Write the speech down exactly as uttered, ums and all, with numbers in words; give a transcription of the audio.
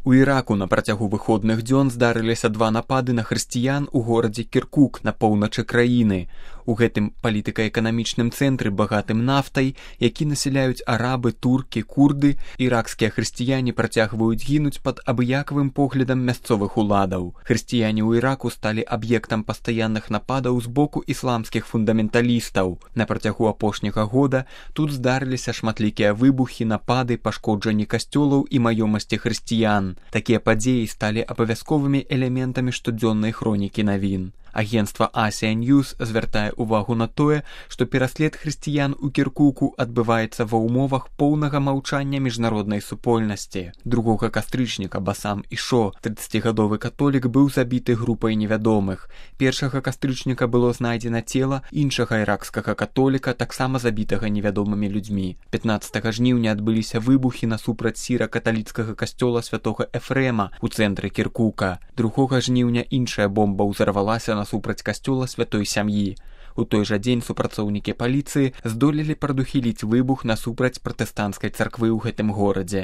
У Іраку на працягу выходных дзён здарыліся два напады на хрысціян у горадзе Кіркук на поўначы краіны. У гэтым палітыка-эканамічным цэнтры, багатым нафтай, які насяляюць арабы, туркі, курды, іракскія хрысціяне працягваюць гінуць пад абыякавым поглядам мясцовых уладаў. Хрысціяне ў Іраку сталі аб'ектам пастаянных нападаў з боку ісламскіх фундаменталістаў. На працягу апошняга года тут здарыліся шматлікія выбухі, напады, пашкоджанні касцёлаў і маёмасці хрысціян. Такія падзеі сталі абавязковымі элементамі штодзённай хронікі навін. Агенцтва Asia News звяртае ўвагу на тое, што пераслед хрысціян у Кіркуку адбываецца ва ўмовах поўнага маўчання міжнароднай супольнасці. другога кастрычніка Басам Ішо, трыццацігадовы католік, быў забіты групай невядомых. першага кастрычніка было знайдзена цела іншага іракскага католіка, таксама забітага невядомымі людзьмі. пятнаццатага жніўня адбыліся выбухі насупраць сіра-каталіцкага касцёла святога Эфрэма ў цэнтры Кіркука. другога жніўня іншая бомба ўзарвалася насупраць касцёла святой сям'і. У той жа дзень супрацоўнікі паліцыі здолелі прадухіліць выбух насупраць пратэстанцкай царквы ў гэтым горадзе.